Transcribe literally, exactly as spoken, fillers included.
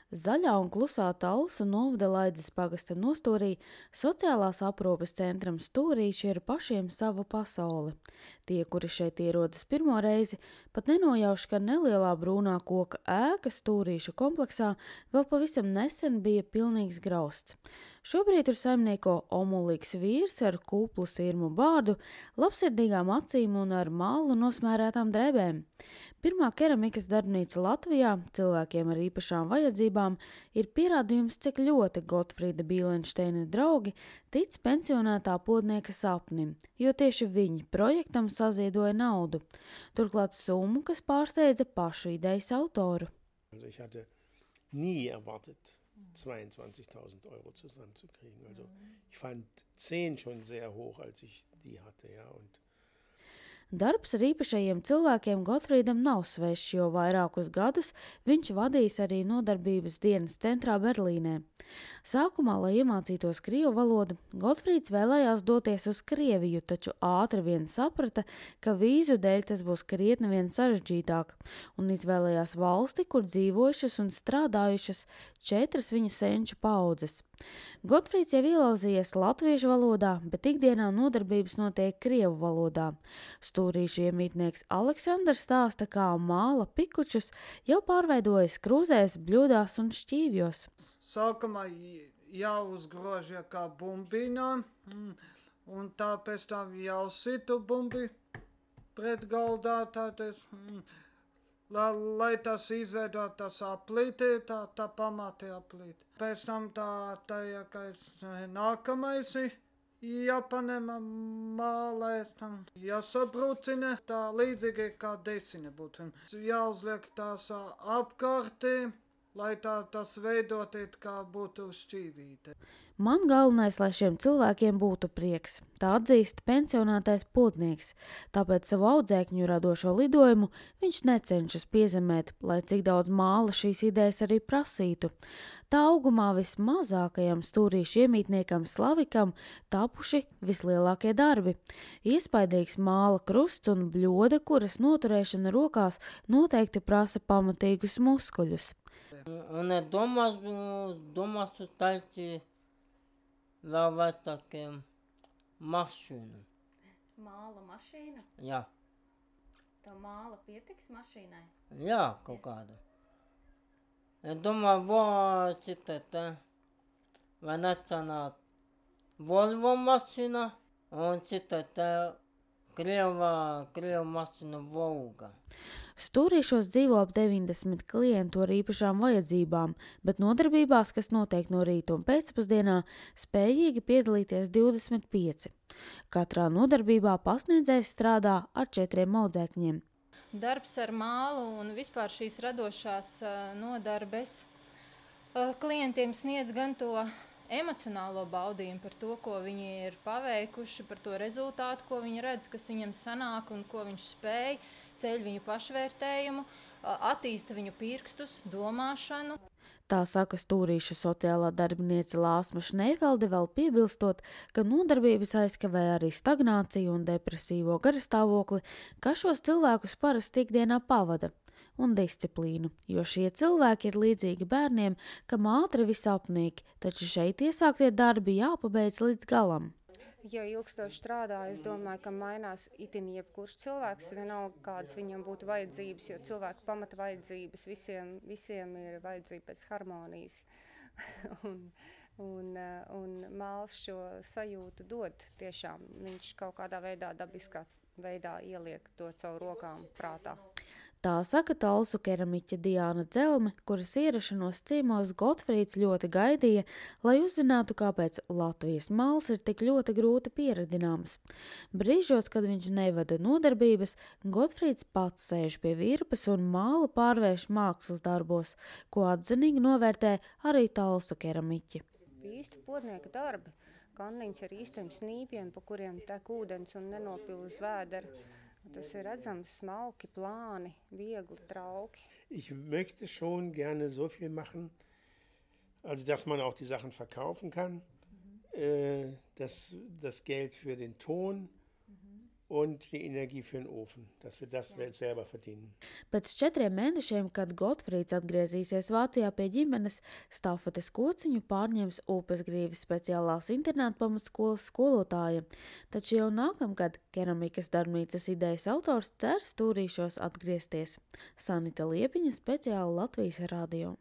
Zaļā un klusā Talsu novada Laidzes pagasta nostūrī sociālās aprūpes centram Stūrīši ir pašiem sava pasaule. Tie, kuri šeit ierodas pirmo reizi, pat nenojauš, ka nelielā brūnā koka ēka Stūrīšu kompleksā vēl pavisam nesen bija pilnīgs grausts. Šobrīd tur saimnieko omulīgs vīrs ar kūplu sirmu bārdu, labsirdīgām acīm un ar mālu nosmērētām drēbēm. Pirmā keramikas darbnīca Latvijā cilvēkiem ar īpašām vajadzībām ir pierādījums, cik ļoti Gotfrīda Bīlenšteina draugi tic pensionētā podnieka sapnim, jo tieši viņi projektam saziedoja naudu. Turklāt summu, kas pārsteidza pašu idejas autoru. Ich hatte nie erwartet, zweiundzwanzigtausend Euro zusammenzukriegen. Also ich fand zehn schon sehr hoch, als ich die hatte, ja, und Darbs ar īpašajiem cilvēkiem Gotfrīdam nav svešs, jo vairākus gadus viņš vadīs arī nodarbības dienas centrā Berlīnē. Sākumā, lai iemācītos krievu valodu, Gotfrīds vēlējās doties uz Krieviju, taču ātri vien saprata, ka vīzu dēļ tas būs krietni vien sarežģītāk, un izvēlējās valsti, kur dzīvojušas un strādājušas četras viņa senču paudzes. Gotfrīds jau ielauzījies latviešu valodā, bet ikdienā nodarbības notiek krievu valodā. Stūrīšu iemītnieks Aleksandrs stāsta, kā māla pikučus jau pārveidojas krūzēs, bļodās un šķīvjos. Sākumā jāuzgrož kā bumbiņā, un tā pēc tam jāsitu bumbi pret galdā, tātad, lai, lai tas izveidot tas aplīti, tā, tā pamati aplīti. Pēc tam tā, tā ja, nākamais jāpanem mālē, jāsabrucina, tā līdzīgi kā desine būtu. Jāuzliek tās apkārtī, lai tā tas veidotiet, kā būtu šķīvīte. Man galvenais, lai šiem cilvēkiem būtu prieks. Tā atzīst pensionātais podnieks. Tāpēc savu audzēkņu radošo lidojumu viņš necenšas piezemēt, lai cik daudz māla šīs idejas arī prasītu. Tā augumā vismazākajam stūrīšu iemītniekam Slavikam tapuši vislielākie darbi. Iespaidīgs māla krusts un bļoda, kuras noturēšana rokās noteikti prasa pamatīgus muskuļus. Un es domāju, domāju taļķi vēl vecākiem mašīnu. Māla mašīnu? Jā. Tā māla pietiks mašīnai? Jā, kaut kāda. Es domāju, vai cita te, vai necenāt Volvo mašīna un cita te Krieva, Krieva mašīna Volga. Stūrīšos dzīvo ap deviņdesmit klientu ar īpašām vajadzībām, bet nodarbībās, kas notiek no rīta un pēcpusdienā, spējīgi piedalīties divdesmit pieci. Katrā nodarbībā pasniedzējs strādā ar četriem audzēkņiem. Darbs ar mālu un vispār šīs radošās nodarbes klientiem sniedz gan to emocionālo baudījumu par to, ko viņi ir paveikuši, par to rezultātu, ko viņi redz, kas viņam sanāk un ko viņš spēj, ceļ viņu pašvērtējumu, attīsta viņu pirkstus, domāšanu. Tā saka Stūrīšu sociālā darbiniece Lāsma Šneifelde, vēl piebilstot, ka nodarbības aizkavē arī stagnāciju un depresīvo garastāvokli, ka šos cilvēkus parasti ikdienā pavada, un disciplīnu, jo šie cilvēki ir līdzīgi bērniem, kam ātri viss apnīk, taču šeit iesāktie darbi jāpabeidz līdz galam. Ja ilgstoši strādā, es domāju, ka mainās itin jebkurš cilvēks, vienalga kādas viņam būtu vajadzības, jo cilvēku pamata vajadzības visiem, visiem ir vajadzība pēc harmonijas. un, un, un māls šo sajūtu dod tiešām. Viņš kaut kādā veidā, dabiskā veidā ieliek to caur rokām prātā. Tā saka talsu keramiķe Diāna Dzelme, kuras ierašanos ciemos Gotfrīds ļoti gaidīja, lai uzzinātu, kāpēc Latvijas māls ir tik ļoti grūti pieradināms. Brīžos, kad viņš nevada nodarbības, Gotfrīds pats sēž pie virpas un mālu pārvērš mākslas darbos, ko atzinīgi novērtē arī talsu keramiķi. Īsti podnieka darbi, kanniņš ar īstiem snīpiem, pa kuriem tek ūdens un nenopilz vēdera. Tas ir redzams, smalki, plāni, viegli, trauki. Ich möchte schon gerne so viel machen, also dass man auch die Sachen verkaufen kann, mhm. äh, das, das Geld für den Ton, mhm. und die Energie für den Ofen, dass wir das ja. selber verdienen. Pēc četriem mēnešiem, kad Gotfrīds atgriezīsies Vācijā pie ģimenes, stafetes kociņu pārņems Upesgrīves speciālās internāta pamatskolas skolotāja. Taču jau nākamgad keramikas darbnīcas idejas autors cer stūrīšos atgriezties. Sanita Liepiņa, speciāli Latvijas radio.